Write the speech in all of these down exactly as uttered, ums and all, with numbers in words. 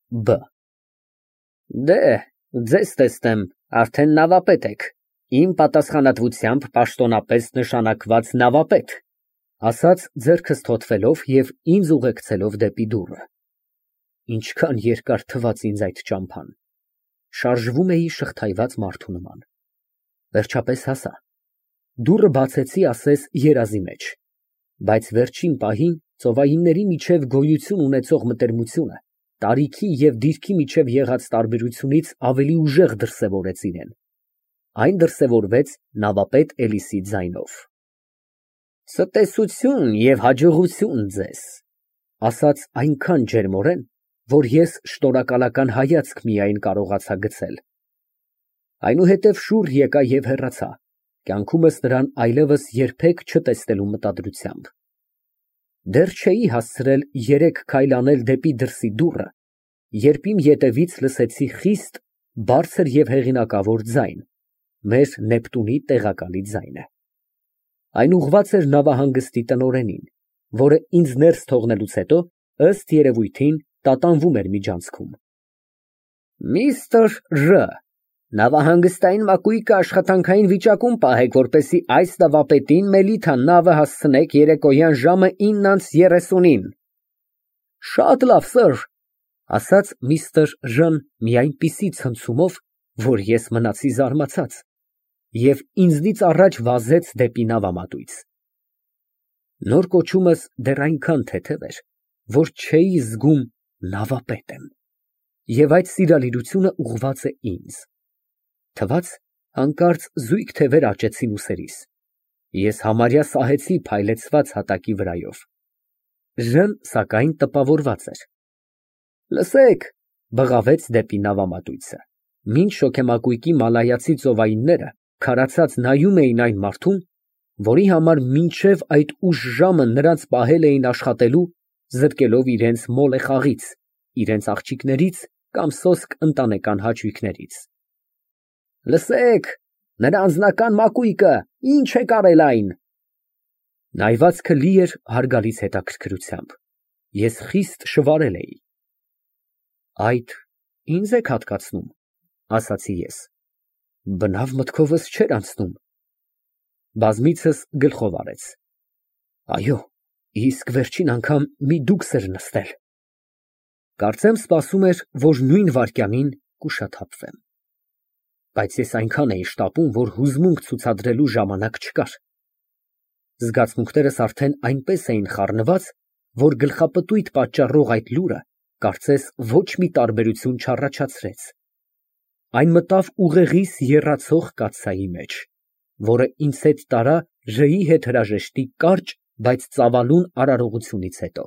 Բ Դե, ձեզ տեսնեմ, արդեն նավապետ եք, իմ պատասխանատվությամբ պաշտոնապես նշանակված նավապետ, ասաց ձեռքս թոթվելով և ինձ ուղեկցելով դեպի դուռը։ Ինչքան երկար թվաց ինձ այդ ճամփան, շարժվում էի շղթայված մարդու նման, վերջապես հասա, դուռը բացեցի ասես երազի մեջ, բայց վերջին պահին ծովայինների միջև գոյություն ունեցող մտերմությունը տարիքի և դիրքի միջև եղած տարբերությունից ավելի ուժեղ դրսևորեց իրեն, այն դրսևորվեց նավապետ Էլիսի ձայնով։ Ցտեսություն և հաջողություն ձեզ, ասաց այնքան ջերմորեն, որ ես շնորհակալական հայացք միայն կարողացա գցել։ Այնուհետև շուռ եկա և հեռացա, կյանքումս նրան այլևս երբեք չտեսնելու մտադրությամբ։ Դեռ չէի հասցրել երեք քայլ անել դեպի դրսի դուռը, երբ իմ ետևից լսեցի խիստ, բարձր և հեղինակավոր ձայն, մեր Նեպտունի տեղակալի ձայնը։ Այն ուղղված էր նավահանգստի տնօրենին, որը ինձ ներս թողնելուց հետո, ըստ երևույթին, տատանվում էր միջանցքում։ Միստր Ժ. Նավահանգստային մակույկը աշխատանքային վիճակում պահեք, որպեսզի այս նավապետին Մելիթա նավը հասցնեք երեկոյան ժամը ինը անց երեսունին։ Շատ լավ, սըր, ասաց միստր Ժ.-ն մի այնպիսի ցնցումով, որ ես մնացի զարմացած, և ինձնից առաջ վազեց դեպի նավամատույց։ Նոր կոչումս դեռ այնքան թեթև էր, որ չէի զգում նավապետ եմ, և այդ սիրալիրությունը ուղղված է ինձ։ Թվաց, հանկարծ զույգ թևեր աճեցին ուսերիս, ես համարյա սահեցի փայլեցված հատակի վրայով։ Ժ.-ն, սակայն, տպավորված էր։ Լսեք, բղավեց դեպի նավամատույցը, մինչ շոգեմակույկի մալայացի ծովայինները քարացած նայում էին այն մարդուն, որի համար մինչև այդ ուշ ժամը նրանց պահել էին աշխատելու, զրկելով իրենց մոլեխաղից, իրենց աղջիկներից կամ սոսկ ընտանեկան հաճույքներից։ Լսեք, նրա անձնական մակույկը, ինչ եք արել այն։ Նայվածքը լի էր հարգալից հետաքրքրությամբ, ես խիստ շվարել էի։ Այդ ինձ եք հատկացնում, ասացի ես, բնավ մտքովս չէր անցնում։ Բազմիցս գլխով արեց։ Այո, իսկ վերջին անգամ մի դուքս էր նստել։ Կարծեմ սպասում էր, որ նույն վայրկյանին կուշաթափվեմ։ Բայց ես այնքան էի շտապում, որ հուզմունք ցուցադրելու ժամանակ չկար։ Զգացմունքներս արդեն այնպես էին խառնված, որ գլխապտույտ պատճառող այդ լուրը, կարծես, ոչ մի տարբերություն չառաջացրեց։ Այն մտավ ուղեղիս եռացող կաթսայի մեջ, որը ինձ հետ տարա Ժ.-ի հետ հրաժեշտի կարճ, բայց ծավալուն արարողությունից հետո։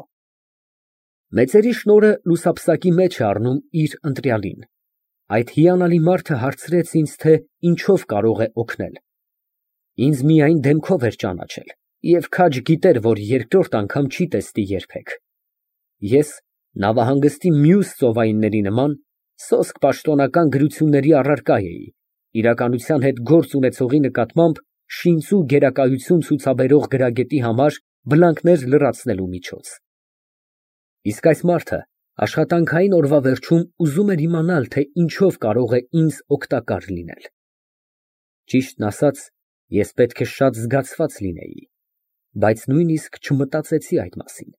Մեծերի շնորհը լուսապսակի մեջ է առնում իր ընտրյալին։ Այդ հիանալի մարդը հարցրեց ինձ, թե ինչով կարող է օգնել։ Ինձ միայն դեմքով էր ճանաչել և քաջ գիտեր, որ երկրորդ անգամ չի տեսնի երբեք։ Ես, նավահանգստի մյուս ծովայինների նման, սոսկ պաշտոնական գրությունների առարկա էի, իրականության հետ գործ ունեցողի նկատմամբ շինծու գերակայություն ցուցաբերող գրագետի համար բլանկներ լրացնելու միջոց։ Իսկ այս մարդը աշխատանքային օրվա վերջում ուզում էր իմանալ, թե ինչով կարող է ինձ օգտակար լինել։ Ճիշտն ասած, ես պետք է շատ զգացված լինեի, բայց նույնիսկ չմտածեցի այդ մասին։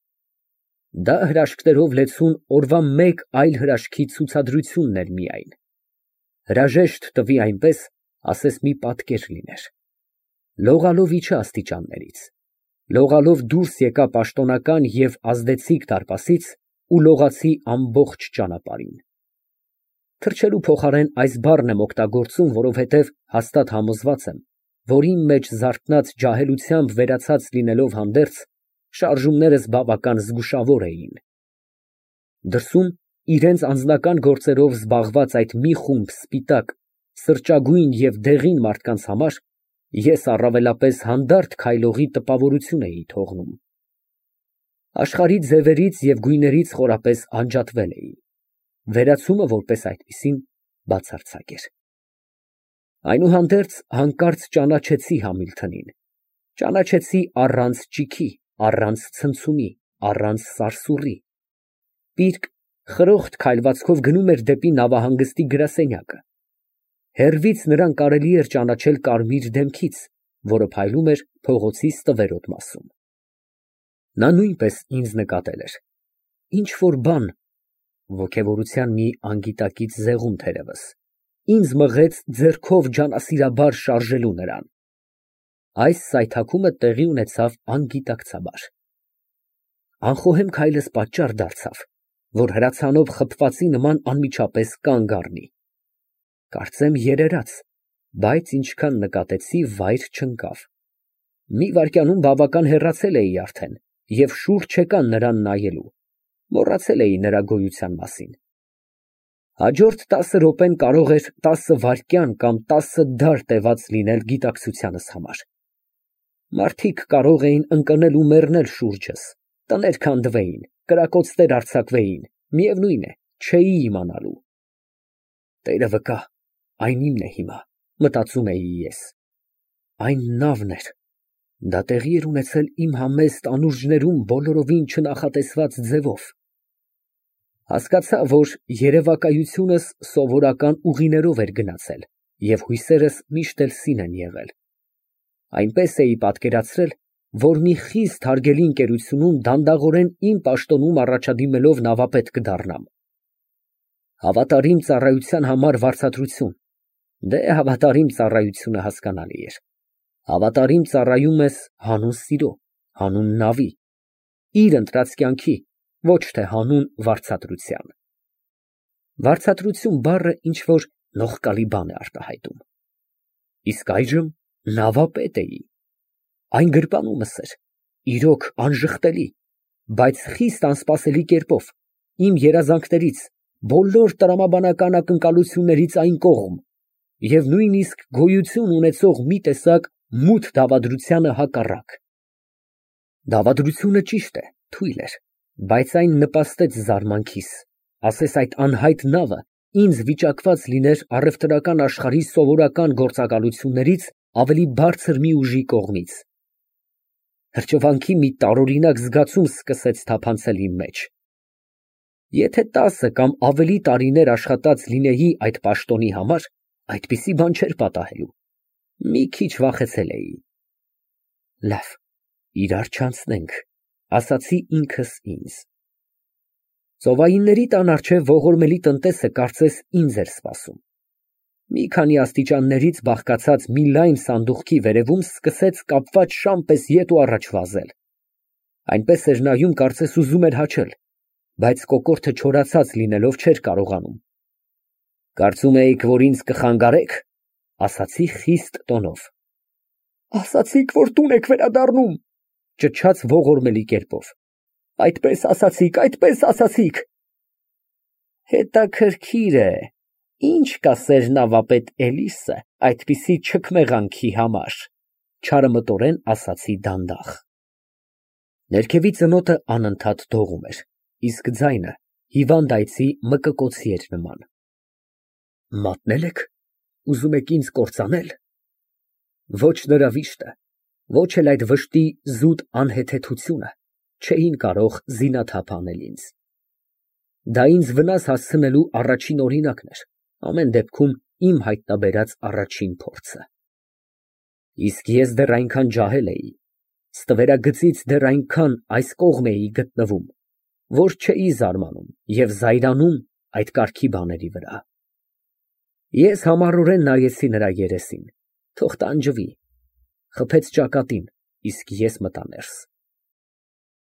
Դա հրաշքներով լեցուն օրվա մեկ այլ հրաշքի ցուցադրությունն էր միայն։ Հրաժեշտ տվի այնպես, ասես մի պատկեր լիներ։ Լողալով իջա աստիճաններից, լողալով դուրս եկա պաշտոնական և ազդեցիկ դարպասից ու լողացի ամբողջ ճանապարհին։ Թռչելու փոխարեն այս բառն եմ օգտագործում, որովհետև հաստատ համոզված եմ, որ իմ մեջ զարթնած ջահելությամբ վերացած լինելով հանդերձ, շարժումներս բավական զգուշավոր էին։ Դրսում իրենց անձնական գործերով զբաղված այդ մի խումբ սպիտակ, սրճագույն և դեղին մարդկանց համար ես առավելապես հանդարտ քայլողի տպավորություն էի թողնում։ Աշխարհի ձևերից և գույներից խորապես անջատվել էի։ Վերացումը, որպես այդպիսին, բացարձակ էր։ Այնուհանդերձ հանկարծ ճանաչեցի Համիլթոնին, ճանաչեցի առանց ճիգի, առանց ցնցումի, առանց սարսուռի։ Պիրկ, խրոխտ քայլվածքով գնում էր դեպի նավահանգստի գրասենյակը։ Հեռվից նրան կարելի էր ճանաչել կարմիր դեմքից, որը փայլում էր փողոցի ստվերոտ մասում։ Նա նույնպես ինձ նկատել էր։ Ինչ֊որ բան, ոգևորության մի անգիտակից զեղում թերևս, ինձ մղեց ձեռքով ջանասիրաբար շարժելու նրան։ Այս սայթաքումը տեղի ունեցավ անգիտակցաբար։ Անխոհեմ քայլս պատճառ դարձավ, որ հրացանով խփվածի նման անմիջապես կանգ առնի։ Կարծեմ երերաց, բայց ինչքան նկատեցի, վայր չընկավ։ Մի վայրկյանում բավական հեռացել էի արդեն և շուրջ եկա նրան նայելու, մոռացել էի նրա գոյության մասին։ Հաջորդ տասը րոպեն կարող էր տասը վայրկյան կամ տասը դար տևած լինել գիտակցությանս համար։ Մարդիկ կարող էին ընկնել ու մեռնել շուրջս, տներ քանդվեին, կրակոցներ արձակվեին, միևնույն է, չէի իմանալու։ Տերը վկա, այն իմն է հիմա, մտածում էի ես։ Այն նավն էր, դա տեղի էր ունեցել իմ համեստ անուրջներում բոլորովին չնախատեսված ձևով։ Հասկացա, որ երևակայությունս սովորական ուղիներով էր գնացել և հույսերս միշտ էլ սին են եղել։ Այնպես էի պատկերացրել, որ մի խիստ հարգելի ընկերությունում դանդաղորեն իմ պաշտոնում առաջադիմելով նավապետ կդառնամ։ Հավատարիմ ծառայության համար վարձատրություն, դե հավատարիմ ծառայությունը հասկանալի էր։ Հավատարիմ ծառայում ես հանուն սիրո, հանուն նավի, իր ընտրած կյանքի, ոչ թե հանուն վարձատրության։ Վարձատրություն բառը ինչ֊որ նողկալի բան է արտահայտում։ Իսկ այժմ նավապետ էի։ Այն գրպանումս էր, իրոք անժխտելի, բայց խիստ անսպասելի կերպով, իմ երազանքներից, բոլոր տրամաբանական ակնկալություններից այն կողմ և նույնիսկ գոյություն ունեցող մի տեսակ մութ դավադրությանը հակառակ։ Դավադրությունը ճիշտ է, թույլ էր, բայց այն նպաստեց զարմանքիս, ասես այդ անհայտ նավը ինձ վիճակված լիներ առևտրական աշխարհի սովորական գործակալություններից ավելի բարձր մի ուժի կողմից։ Հրճվանքի մի տարօրինակ զգացում սկսեց թափանցել իմ մեջ։ Եթե տասը կամ ավելի տարիներ աշխատած լինեի այդ պաշտոնի համար, այդպիսի բան չէր պատահելու։ Մի քիչ վախեցել էի։ Լավ, իրար չանցնենք, ասացի ինքս ինձ։ Ծովայինների տան առջև ողորմելի տնտեսը կարծես ինձ էր սպասում։ Մի քանի աստիճաններից բաղկացած մի լայն սանդուղքի վերևում սկսեց կապված շան պես ետ ու առաջ վազել։ Այնպես էր նայում, կարծես ուզում էր հաչել, բայց կոկորդը չորացած լինելով չէր կարողանում։ Կարծում էիք, որ ինձ կխանգարեք, ասացի խիստ տոնով։ Ասացիք, որ տուն եք վերադառնում, ճչաց ողորմելի կերպով։ Այդպես ասացիք, այդպես ասացիք։ Հետաքրքիր է, ինչ կասեր նավապետ Էլիսը այդպիսի չքմեղանքի համար, չարամտորեն ասացի դանդաղ։ Ներքևի ծնոտը անընդհատ դողում էր, իսկ ձայնը հիվանդ այծի մկկոցի էր նման։ Մատնել եք, ուզում եք ինձ կործանել։ Ոչ նրա վիշտը, ոչ էլ այդ վշտի զուտ անհեթեթությունը չէին կարող զինաթափ անել ինձ։ Դա ինձ վնաս հասցնելու առաջին օրինակն էր, ամեն դեպքում իմ հայտնաբերած առաջին փորձը։ Իսկ ես դեռ այնքան ջահել էի, ստվերագծից դեռ այնքան այս կողմ էի գտնվում, որ չէի զարմանում և զայրանում այդ կարգի բաների վրա։ Ես համառորեն նայեցի նրա երեսին, թող տանջվի, խփեց ճակատին, իսկ ես մտա ներս։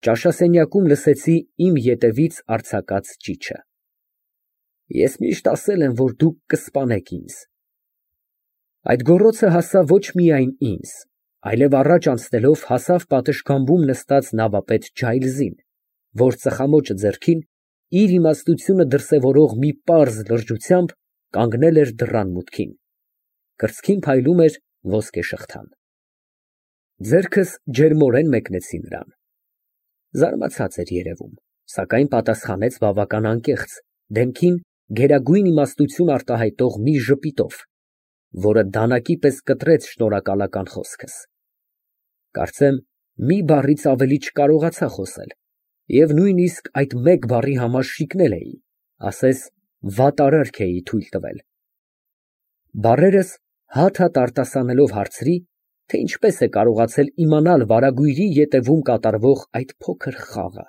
Ճաշասենյակում լսեցի իմ ետևից արձակած ճիչը։ Ես միշտ ասել եմ, որ դուք կսպանեք ինձ։ Այդ գոռոցը հասավ ոչ միայն ինձ, այլև առաջ անցնելով հասավ պատշգամբում նստած նավապետ Ջայլզին, որ ծխամոճը ձեռքին, իր իմաստությունը դրսևորող մի պարզ լրջությամբ կանգնել էր դռան մուտքին։ Կրծքին փայլում էր ոսկե շղթան։ Ձեռքս ջերմորեն մեկնեցի նրան։ Զարմացած էր երևում, սակայն պատասխանեց բավական անկեղծ, դեմքին գերագույն իմաստություն արտահայտող մի ժպիտով, որը դանակի պես կտրեց շնորհակալական խոսքս։ Կարծեմ մի բառից ավելի չկարողացա խոսել, Եվ նույնիսկ այդ մեկ բառի համար շիկնել էի, ասես վատ արարք էի թույլ տվել։ Բառերս հատ֊հատ արտասանելով հարցրի, թե ինչպես է կարողացել իմանալ վարագույրի ետևում կատարվող այդ փոքր խաղը։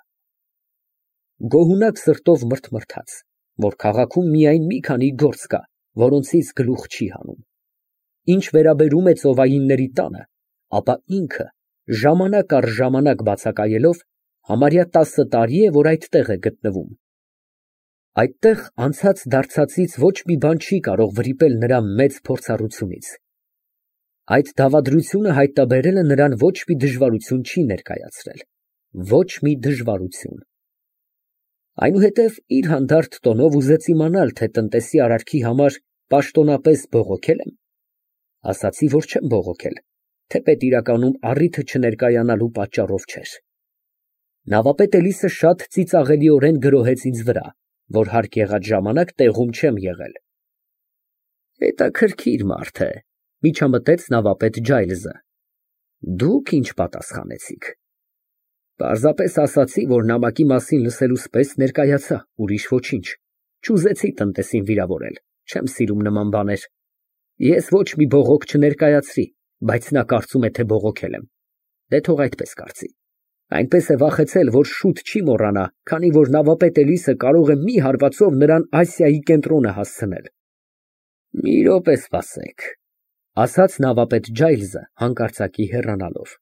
Գոհունակ սրտով մրթմրթաց, որ քաղաքում միայն մի քանի գործ կա, որոնցից գլուխ չի հանում։ Ինչ վերաբերում է ծովայինների տանը, ապա ինքը ժամանակ առ ժամանակ բացակայելով, համարյա տասը տարի է, որ այդտեղ է գտնվում։ Այդտեղ անցած դարձածից ոչ մի բան չի կարող վրիպել նրա մեծ փորձառությունից։ Այդ դավադրությունը հայտնաբերելը նրան ոչ մի դժվարություն չի ներկայացրել, ոչ մի դժվարություն։ Այնուհետև իր հանդարտ տոնով ուզեց իմանալ, թե տնտեսի արարքի համար պաշտոնապես բողոքե՞լ եմ։ Ասացի, որ չեմ բողոքել, թեպետ իրականում առիթը չներկայանալու պատճառով չէր։ Նավապետ Էլիսը շատ ծիծաղելիորեն գրոհեց ինձ վրա, որ հարկ եղած ժամանակ տեղում չեմ եղել։ Հետաքրքիր մարդ է, միջամտեց նավապետ Ջայլզը։ Դուք ինչ պատասխանեցիք։ Պարզապես ասացի, որ նամակի մասին լսելուց պես ներկայացա, ուրիշ ոչինչ։ Չուզեցի տնտեսին վիրավորել, չեմ սիրում նման բաներ։ Ես ոչ մի բողոք չներկայացրի, բայց նա կարծում է, թե բողոքել եմ։ Դե թող այդպես կարծի։ Այնպես է վախեցել, որ շուտ չի մոռանա, քանի որ նավապետ Էլիսը կարող է մի հարվածով նրան Ասիայի կենտրոնը հասցնել։ Մի րոպե սպասեք, ասաց նավապետ Ջայլզը հանկարծակի հեռանալով։